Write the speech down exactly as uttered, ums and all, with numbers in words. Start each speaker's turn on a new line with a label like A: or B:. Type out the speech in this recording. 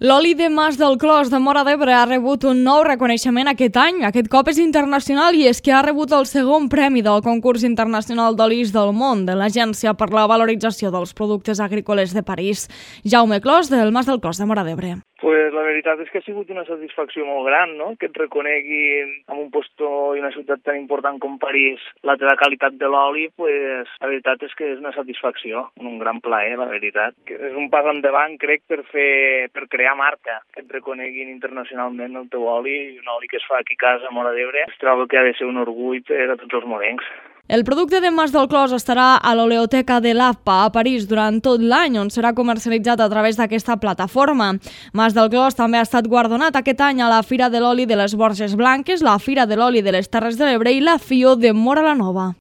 A: L'oli de Mas del Clos de Móra d'Ebre ha rebut un nou reconeixement aquest any. Aquest cop és internacional i és que ha rebut el segon premi del concurs internacional d'olis del món de l'Agència per la Valorització dels Productes Agrícoles de París. Jaume Clos, del Mas del Clos de Móra d'Ebre.
B: Pues la veritat és que ha sigut una satisfacció molt gran, no?, que et reconeguin en un postó i una ciutat tan important com París la teva qualitat de l'oli, pues la veritat és que és una satisfacció, un gran plaer, la veritat. Que és un pas endavant, crec, per fer, per crear marca, que et reconeguin internacionalment el teu oli, un oli que es fa aquí a casa a Móra d'Ebre. Es trobo que ha de ser un orgull per a tots els morencs.
A: El producte de Mas del Clos estarà a l'Oleoteca de l'A F P A a París durant tot l'any, on serà comercialitzat a través d'aquesta plataforma. Mas del Clos també ha estat guardonat aquest any a la Fira de l'Oli de les Borges Blanques, la Fira de l'Oli de les Terres de l'Ebre i la FIO de Móra la Nova.